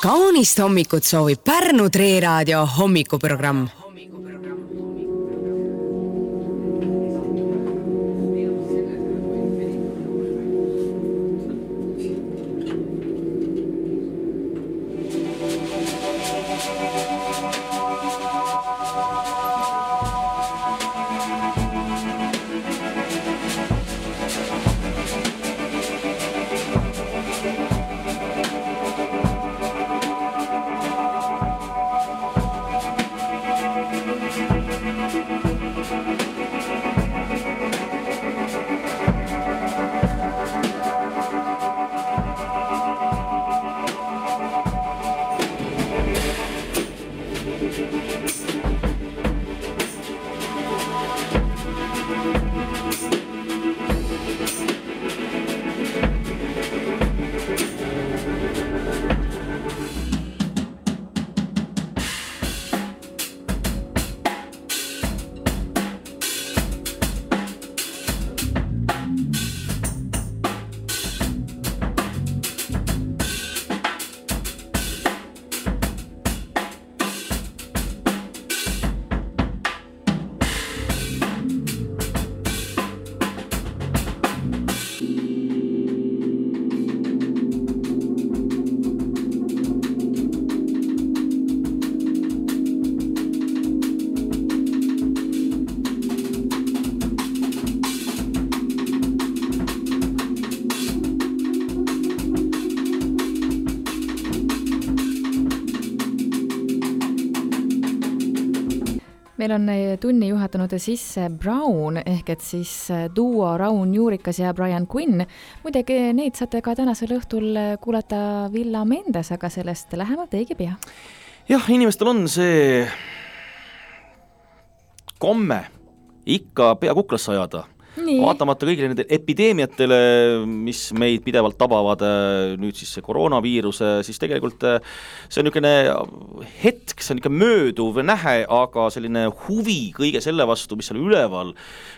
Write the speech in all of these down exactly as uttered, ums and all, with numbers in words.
Kaunist hommikut soovib Pärnu Treeraadio hommikuprogramm. Meil on tunni juhatanud sisse Brown, ehk et siis duo Raun Juurikas ja Brian Quinn. Muidugi neid saate ka tänasel õhtul kuulata Villa Mendes, aga sellest lähemalt õige pea. Jah, inimestel on see komme ikka pea kuklasse ajada. Nii. Vaatamata kõigile nende epideemiatele, mis meid pidevalt tabavad, nüüd siis see koroonaviirus, siis tegelikult see on niisugune hetk, see on ikka mööduv nähe, aga selline huvi kõige selle vastu, mis seal üleval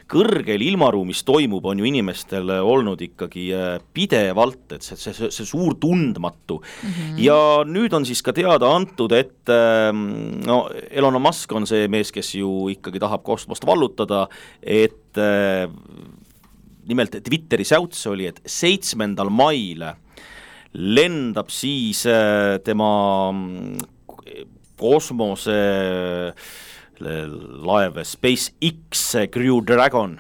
kõrgel ilmaruumis toimub, on ju inimestel olnud ikkagi pidevalt, et see, see, see suur tundmatu. Mm-hmm. Ja nüüd on siis ka teada antud, et no, Elon Musk on see mees, kes ju ikkagi tahab kosmost vallutada, et nimelt Twitteri säuts oli, et seitsmendal mail lendab siis tema kosmose laev SpaceX Crew Dragon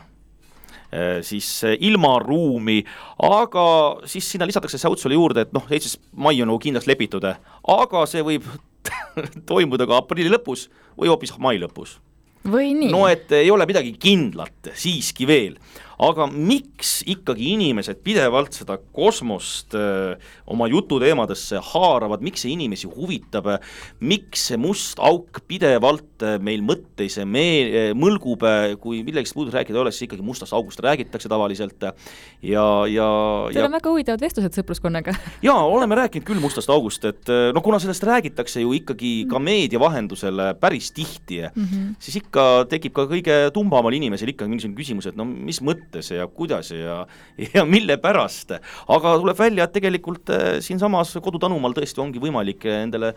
siis ilmaruumi, aga siis sinna lisatakse säutsule juurde, et noh, seitsmes mai on kindlaks lepitud, aga see võib toimuda ka aprilli lõpus või hoopis mai lõpus. Või nii? No, et ei ole midagi kindlat siiski veel. Aga miks ikkagi inimesed pidevalt seda kosmost öö, oma jututeemadesse haaravad, miks see inimesi huvitab, miks see must auk pidevalt meil mõtteis me- mõlgub, kui millegist muud rääkida oleks, ikkagi mustast august räägitakse tavaliselt. Ja, ja, Teil on ja... väga huvitavad vestlused sõpruskonnaga. Jaa, oleme rääkinud küll mustast august, et no kuna sellest räägitakse ju ikkagi ka meedia vahendusel päris tihti, mm-hmm. siis ikka tekib ka kõige tumbamal inimesel ikka mingisugune küsimus, et no mis mõttes ja kuidas ja, ja mille pärast. Aga tuleb välja, et tegelikult siin samas kodutanumal tõesti ongi võimalik nendele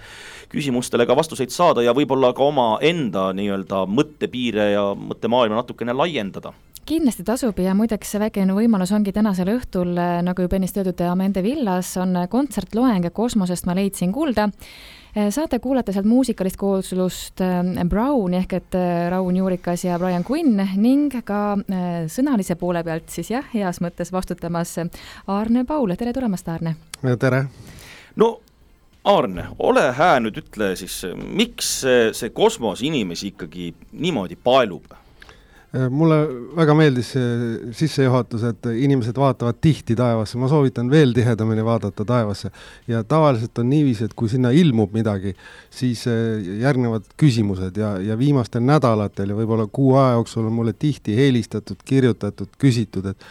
küsimustele ka vastuseid saada ja võib-olla ka oma enda nii-öelda mõttepiire ja mõttemaailma natukene laiendada. Kindlasti tasub ja muideks väikene võimalus ongi tänasel õhtul, nagu juba ennist öeldud, Amende Villas on kontsertloeng Kosmosest ma leidsin kuulda. Saate kuulata sealt muusikalist kooslust Brown ehk et Raun Juurikas ja Brian Quinn ning ka sõnalise poole pealt siis jah, heas mõttes vastutamas Aarne Paul. Tere tulemast, Aarne! Tere! No Aarne, ole hää nüüd ütle siis, miks see kosmos inimesi ikkagi niimoodi paelub? Mulle väga meeldis sissejuhatus, et inimesed vaatavad tihti taevasse. Ma soovitan veel tihedamini vaadata taevasse. Ja tavaliselt on niiviisi, et kui sinna ilmub midagi, siis järgnevad küsimused ja, ja viimastel nädalatel ja võib-olla kuu aja jooksul on mulle tihti helistatud, kirjutatud, küsitud, et,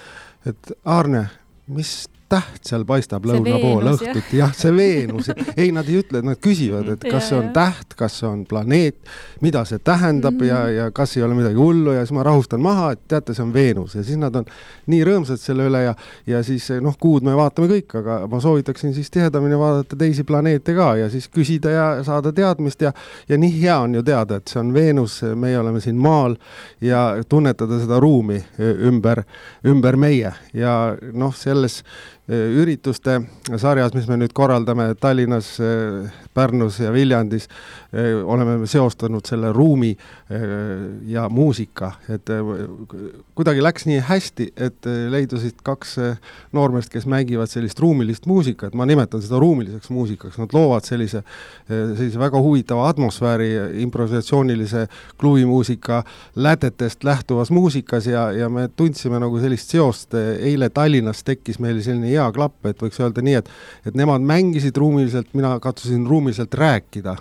et Aarne, mis täht seal paistab lõuna pool õhtut, jah, see Veenus. Ei, nad ei ütle, nad küsivad, et kas see on täht, kas see on planeet, mida see tähendab mm. ja, ja kas ei ole midagi hullu ja siis ma rahustan maha, et teate, see on Veenus ja siis nad on nii rõõmsad selle üle ja, ja siis noh, kuud me vaatame kõik, aga ma soovitaksin siis tihedamini vaadata teisi planeete ka ja siis küsida ja saada teadmist ja, ja nii hea on ju teada, et see on Veenus, meie oleme siin maal ja tunnetada seda ruumi ümber, ümber meie ja noh, selles ürituste sarjas, mis me nüüd korraldame Tallinnas, Pärnus ja Viljandis, oleme seostanud selle ruumi ja muusika, et kuidagi läks nii hästi, et leidusid kaks noormest, kes mängivad sellist ruumilist muusikat, ma nimetan seda ruumiliseks muusikaks, nad loovad sellise, sellise väga huvitava atmosfääri improvisatsioonilise kluvimuusika lätetest lähtuvas muusikas ja, ja me tundsime nagu sellist seost, eile Tallinnas tekkis meil selline hea klapp, et võiks öelda nii, et, et nemad mängisid ruumiliselt, mina katsusin ruumiliselt rääkida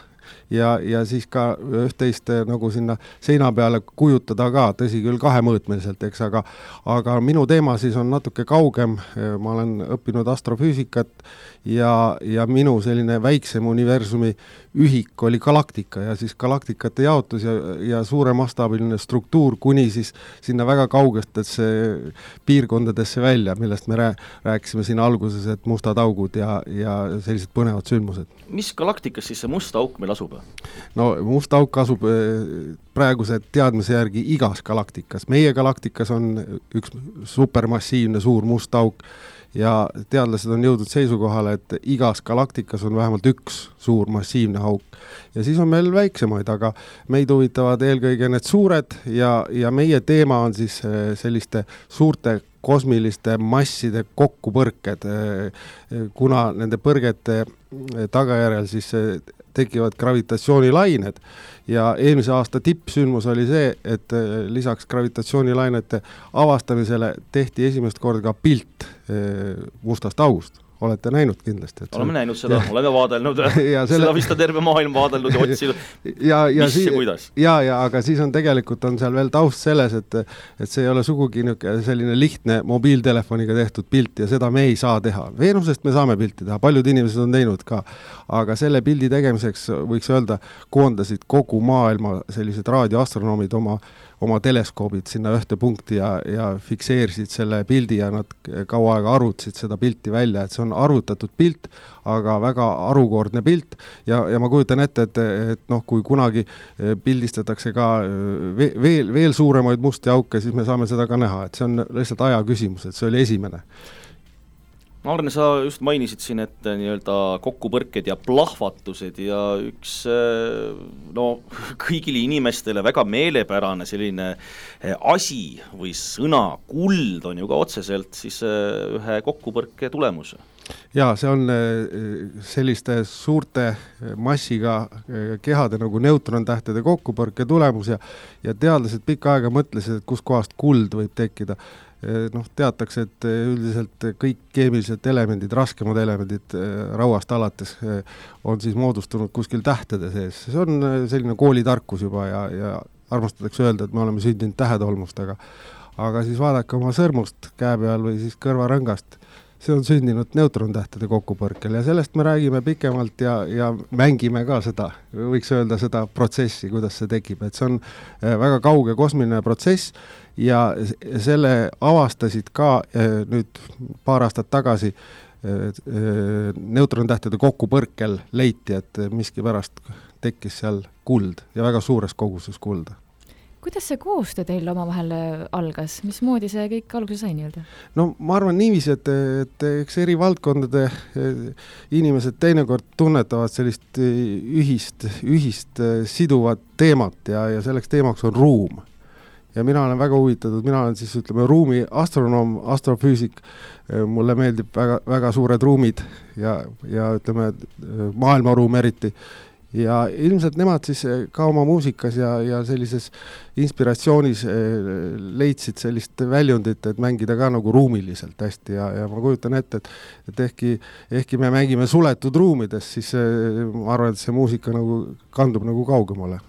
ja, ja siis ka üht-teist nagu sinna seina peale kujutada ka, tõsi küll kahemõõtmeliselt, eks, aga, aga minu teema siis on natuke kaugem, ma olen õppinud astrofüüsikat ja, ja minu selline väiksem universumi ühik oli galaktika ja siis galaktikate jaotus ja, ja suure mastaabiline struktuur kuni siis sinna väga kaugestesse piirkondadesse välja, millest me rääkisime siin alguses, et mustad augud ja, ja sellised põnevad sündmused. Mis galaktikas siis see must auk meil asub? No must auk asub praeguse teadmise järgi igas galaktikas. Meie galaktikas on üks supermassiivne suur must auk ja teadlased on jõudnud seisukohale, et igas galaktikas on vähemalt üks suur massiivne auk. Ja siis on meil väiksemaid, aga meid huvitavad eelkõige need suured ja, ja meie teema on siis selliste suurte kosmiliste masside kokkupõrked, kuna nende põrgete tagajärjel siis tekivad gravitatsioonilained ja eelmise aasta tippsündmus oli see, et lisaks gravitatsioonilainete avastamisele tehti esimest korda ka pilt mustast august. Olete näinud kindlasti? Et oleme näinud seda, oleme vaadelnud, selle... seda vist on terve maailm vaadelnud ja otsinud, ja, ja mis siis, ja kuidas. Ja, ja, aga siis on tegelikult on seal veel taust selles, et, et see ei ole sugugi selline lihtne mobiiltelefoniga tehtud pilt ja seda me ei saa teha. Veenusest me saame pilti teha, paljud inimesed on teinud ka, aga selle pildi tegemiseks võiks öelda, koondasid kogu maailma sellised raadioastronoomid oma oma teleskoobid sinna ühte punkti ja, ja fikseerisid selle pildi ja nad kaua aega arvutasid seda pilti välja, et see on arvutatud pilt, aga väga arukordne pilt ja, ja ma kujutan ette, et, et noh, kui kunagi pildistatakse ka veel, veel suuremaid musti auke, siis me saame seda ka näha, et see on lihtsalt aja küsimus, et see oli esimene. Arne, sa just mainisid siin, et nii-öelda kokkupõrked ja plahvatused ja üks no, kõigile inimestele väga meelepärane selline asi või sõna kuld on ju ka otseselt siis ühe kokkupõrke tulemus. Jaa, see on selliste suurte massiga kehade nagu neutrontähtede kokkupõrke tulemus ja, ja teadlased pikka aega mõtlesid, et kus kohast kuld võib tekkida. Noh, teatakse, et üldiselt kõik keemilised elemendid, raskemad elemendid rauast alates on siis moodustunud kuskil tähtede sees. See on selline koolitarkus juba ja, ja armastatakse öelda, et me oleme sündinud tähetolmust, aga, aga siis vaadake oma sõrmust käe peal või siis kõrvarõngast. See on sündinud neutrontähtede kokkupõrkel ja sellest me räägime pikemalt ja, ja mängime ka seda, võiks öelda seda protsessi, kuidas see tekib, et see on väga kauge kosmiline protsess ja selle avastasid ka nüüd paar aastat tagasi neutrontähtede kokkupõrkel leiti, et miski pärast tekkis seal kuld ja väga suures koguses kulda. Kuidas see koostöö teil oma vahel algas? Mismoodi see kõik alguse sai nii-öelda? No ma arvan niiviisi, et, et eks eri valdkondade inimesed teinekord tunnetavad sellist ühist, ühist siduvat teemat ja, ja selleks teemaks on ruum. Ja mina olen väga huvitatud, mina olen siis ütleme ruumi astronoom, astrofüüsik, mulle meeldib väga, väga suured ruumid ja, ja ütleme maailmaruum eriti. Ja ilmselt nemad siis ka oma muusikas ja, ja sellises inspiratsioonis leidsid sellist väljundit, et mängida ka nagu ruumiliselt hästi ja, ja ma kujutan ette, et, et ehkki, ehkki me mängime suletud ruumides, siis ma arvan, et see muusika nagu kandub nagu kaugemale.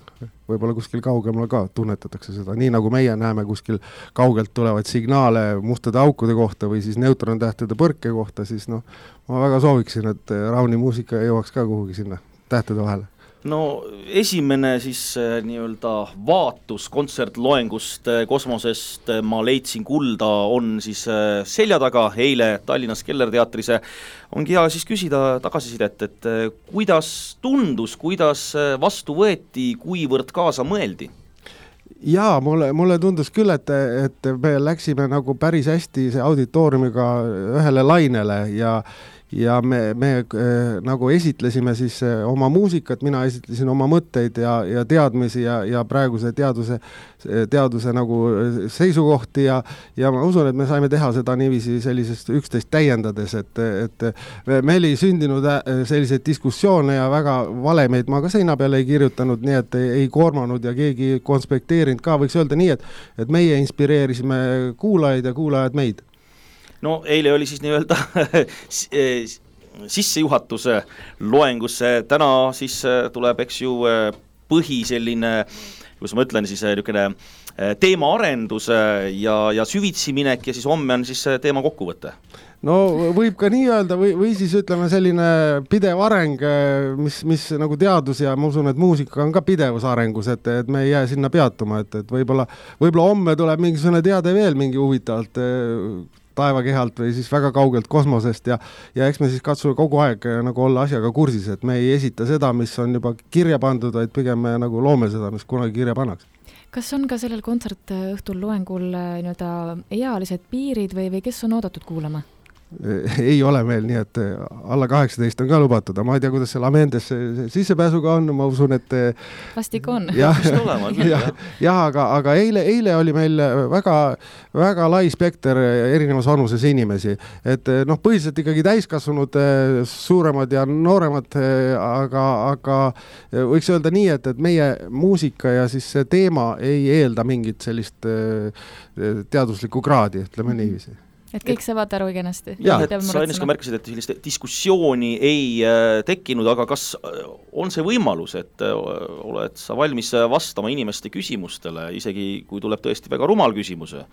võib-olla kuskil kaugemal ka tunnetatakse seda, nii nagu meie näeme kuskil kaugelt tulevaid signaale mustade aukude kohta või siis neutrontähtede põrke kohta, siis noh, ma väga sooviksin, et Rauni muusika jõuaks ka kuhugi sinna tähtede vahele. No esimene siis nii-öelda vaatus kontsertloengust kosmosest Ma leidsin kulda on siis selja taga eile Tallinnas Kellerteatris. Ongi hea siis küsida tagasisidet, et kuidas tundus, kuidas vastu võeti, kuivõrd kaasa mõeldi? Jaa, mulle, mulle tundus küll, et, et me läksime nagu päris hästi see auditooriumiga ühele lainele ja ja me, me äh, nagu esitlesime siis äh, oma muusikat, mina esitlesin oma mõtteid ja, ja teadmisi ja, ja praeguse teaduse, teaduse nagu seisukohti ja, ja ma usun, et me saime teha seda niiviisi sellisest üksteist täiendades, et, et meil ei sündinud selliseid diskussioone ja väga valemeid ma ka seina peale ei kirjutanud, nii et ei, ei koormanud ja keegi konspekteerinud ka, võiks öelda nii, et, et meie inspireerisime kuulajaid ja kuulajad meid. No eile oli siis nii-öelda sissejuhatuse loengusse, täna siis tuleb, eks ju, põhi selline, kus ma ütlen, siis niisugune teemaarendus ja, ja süvitsi minek ja siis homme on siis teema kokkuvõte. No võib ka nii öelda või, või siis ütleme selline pidev areng, mis, mis nagu teadus ja ma usun, et muusika on ka pidevus arengus, et, et me ei jää sinna peatuma, et, et võib-olla, võib-olla homme tuleb mingisugune teade veel mingi huvitavalt taevakehalt või siis väga kaugelt kosmosest ja, ja eks me siis katsume kogu aeg nagu olla asjaga kursis, et me ei esita seda, mis on juba kirja pandud, vaid pigem me nagu loome seda, mis kunagi kirja pannakse. Kas on ka sellel kontsertõhtul loengul nii-öelda ealised piirid või, või kes on oodatud kuulama? Ei ole meil, nii et alla kaheksateist on ka lubatud, ma ei tea, kuidas seal Amendes sissepääsuga on, ma usun, et vastik on. Jah, jah, jah, aga, aga eile, eile oli meil väga, väga lai spekter erinevas vanuses inimesi, et noh, põhiliselt ikkagi täiskasvanud suuremad ja nooremad, aga, aga võiks öelda nii, et, et meie muusika ja siis see teema ei eelda mingit sellist teaduslikku kraadi, ütleme niiviisi. Et kõik saavad aru kenasti. Jah, et sa ennast ka märkasid, et sellist diskussiooni ei äh, tekkinud, aga kas on see võimalus, et äh, oled sa valmis vastama inimeste küsimustele, isegi kui tuleb tõesti väga rumal küsimuse?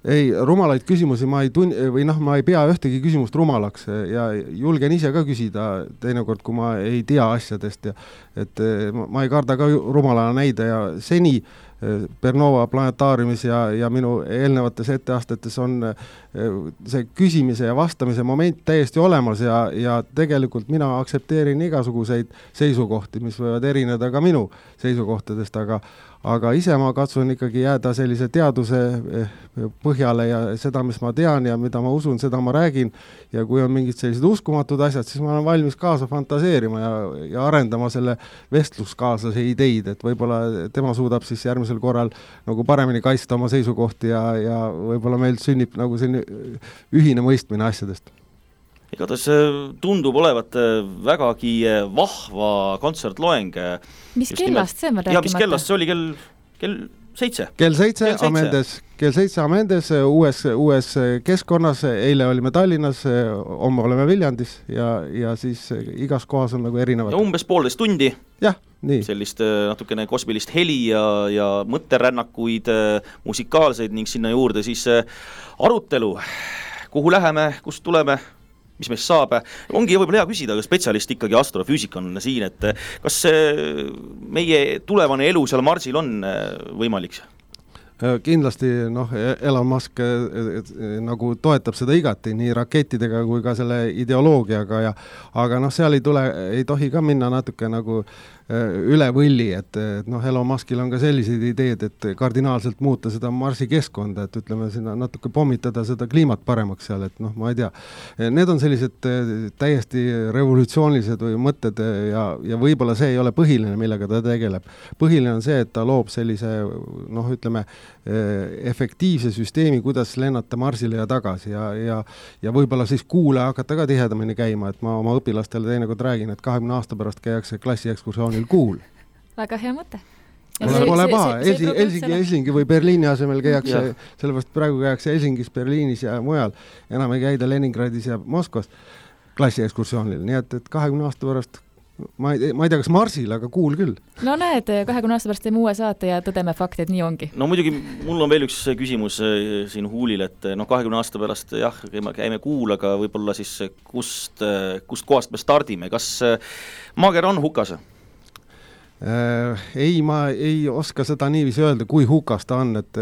Ei, rumalaid küsimusi ma ei tun- või noh, ma ei pea ühtegi küsimust rumalaks ja julgen ise ka küsida teinekord, kui ma ei tea asjadest ja et ma ei karda ka rumalana näida ja seni Bernova planetaariumis ja, ja minu eelnevates etteastetes on see küsimise ja vastamise moment täiesti olemas ja, ja tegelikult mina aksepteerin igasuguseid seisukohti, mis võivad erineda ka minu seisukohtadest, aga aga ise ma katsun ikkagi jääda sellise teaduse põhjale ja seda, mis ma tean ja mida ma usun, seda ma räägin ja kui on mingid sellised uskumatud asjad, siis ma olen valmis kaasa fantaseerima ja, ja arendama selle vestluskaaslase ideid, et võib-olla tema suudab siis järgmisel korral nagu paremini kaitsta oma seisukohti ja, ja võib-olla meil sünnib nagu selline ühine mõistmine asjadest. Igatahes tundub olevat vägagi vahva kontsertloeng. Mis kellast see on rääkimata? Ja, mis kellast see oli kell, kell seitse? Kell seitse, Amendes, kell seitse Amendes uues, uues keskkonnas, eile olime Tallinnas, homme oleme Viljandis ja, ja siis igas kohas on nagu erinevad. Ja umbes poolteist tundi. Jah, nii. Sellist natukene kosmilist heli ja, ja mõtterännakuid, musikaalseid ning sinna juurde siis arutelu. Kuhu läheme, kust tuleme? Mis meist saab, ongi võib-olla hea küsida, aga spetsialist ikkagi astrofüüsik on siin, et kas meie tulevane elu seal Marsil on võimalik? Kindlasti noh, Elon Musk nagu toetab seda igati nii rakettidega kui ka selle ideoloogiaga ja aga noh, seal ei tule, ei tohi ka minna natuke nagu üle võlli, et, et noh, Elon Muskil on ka sellised ideed, et kardinaalselt muuta seda Marsi keskkonda, et ütleme sinna natuke pommitada seda kliimat paremaks seal, et noh, ma ei tea. Need on sellised täiesti revolutsioonilised või mõtted ja, ja võib-olla see ei ole põhiline, millega ta tegeleb. Põhiline on see, et ta loob sellise noh, ütleme efektiivse süsteemi, kuidas lennata Marsile ja tagasi ja, ja, ja võib-olla siis kuule hakata ka tihedamini käima, et ma oma õpilastele teinekord räägin, et kahekümne aasta pärast käiakse klassiekskursioonil kuul. Väga hea mõte. Pole, pole paha, Helsingi, Helsingi või Berliini asemel käiakse, sellepärast praegu käiakse Helsingis, Berliinis ja mujal, enam ei käida Leningradis ja Moskvas klassiekskursioonil, nii et, et kahekümne aasta pärast ma ei, ma ei tea, kas Marsil, aga kuul küll. No näed, kahekümne aasta pärast teeme uue saate ja tõdeme fakti, et nii ongi. No muidugi mul on veel üks küsimus siin Huulil, et noh, kahekümne aasta pärast jah, käime kuul, aga võib-olla siis kust, kust kohast me stardime, kas maager on hukas? Äh, ei, ma ei oska seda niiviisi öelda, kui hukas ta on, et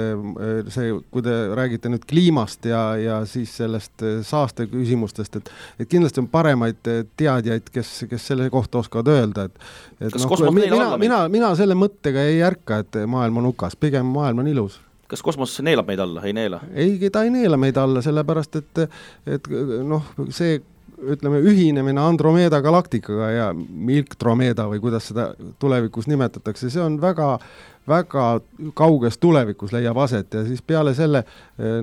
see, kui te räägite nüüd kliimast ja, ja siis sellest saaste küsimustest, et, et kindlasti on paremaid teadjaid, kes, kes selle kohta oskavad öelda, et, et kas no, kosmos mina, neelab alla mina, mina selle mõttega ei ärka, et maailm on hukas, pigem maailm on ilus. Kas kosmos neelab meid alla, ei neela? Ei, ta ei neela meid alla, sellepärast, et, et noh, see ütleme, ühinemine Andromeda galaktikaga ja Milktromeda või kuidas seda tulevikus nimetatakse, see on väga, väga kauges tulevikus leiab aset ja siis peale selle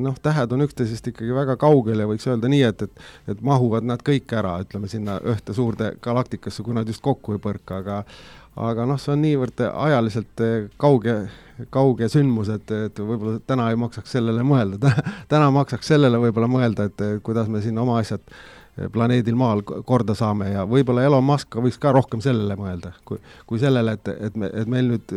noh, tähed on üksteisest ikkagi väga kaugel ja võiks öelda nii, et, et, et mahuvad nad kõik ära, ütleme sinna ühte suurde galaktikasse, kui nad just kokku ei põrka, aga aga noh, see on niivõrd ajaliselt kauge, kauge sündmus, et, et võib-olla täna ei maksaks sellele mõelda, täna maksaks sellele võib-olla mõelda, et kuidas me siin oma asjad planeedil maal korda saame ja võib-olla Elon Musk võiks ka rohkem sellele mõelda, kui, kui sellele, et, et, me, et meil nüüd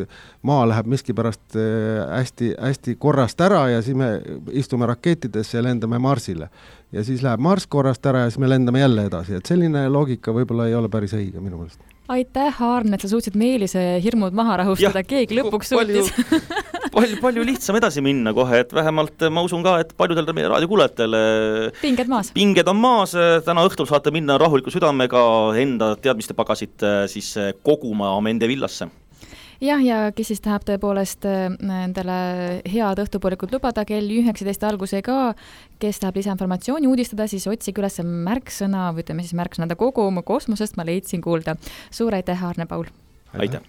maa läheb miski pärast hästi, hästi korrast ära ja siis me istume rakettidesse ja lendame Marsile. Ja siis läheb Mars korrast ära ja siis me lendame jälle edasi, et selline loogika võib-olla ei ole päris õige minu meelest. Aitäh, Aarn, et sa suutsid Meelise hirmud maha rahustada, keegi lõpuks suutis. palju, palju lihtsam edasi minna kohe, et vähemalt ma usun ka, et paljudel meie raadiokuulajatele pinged maas. Pinged on maas, täna õhtul saate minna rahuliku südamega enda teadmiste pagasit siis koguma Amende villasse. Jah, ja kes siis tahab tõepoolest endale head õhtupoolikut lubada kell üheksateist alguse ka, kes tahab lisainformatsiooni uudistada, siis otsige üles märksõna, või ütleme siis märksõnade kogu oma kosmosest ma leidsin kuulda. Suur aitäh, Arne Paul! Aitäh!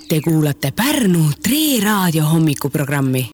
Te kuulate Pärnu Tre Raadio hommikuprogrammi.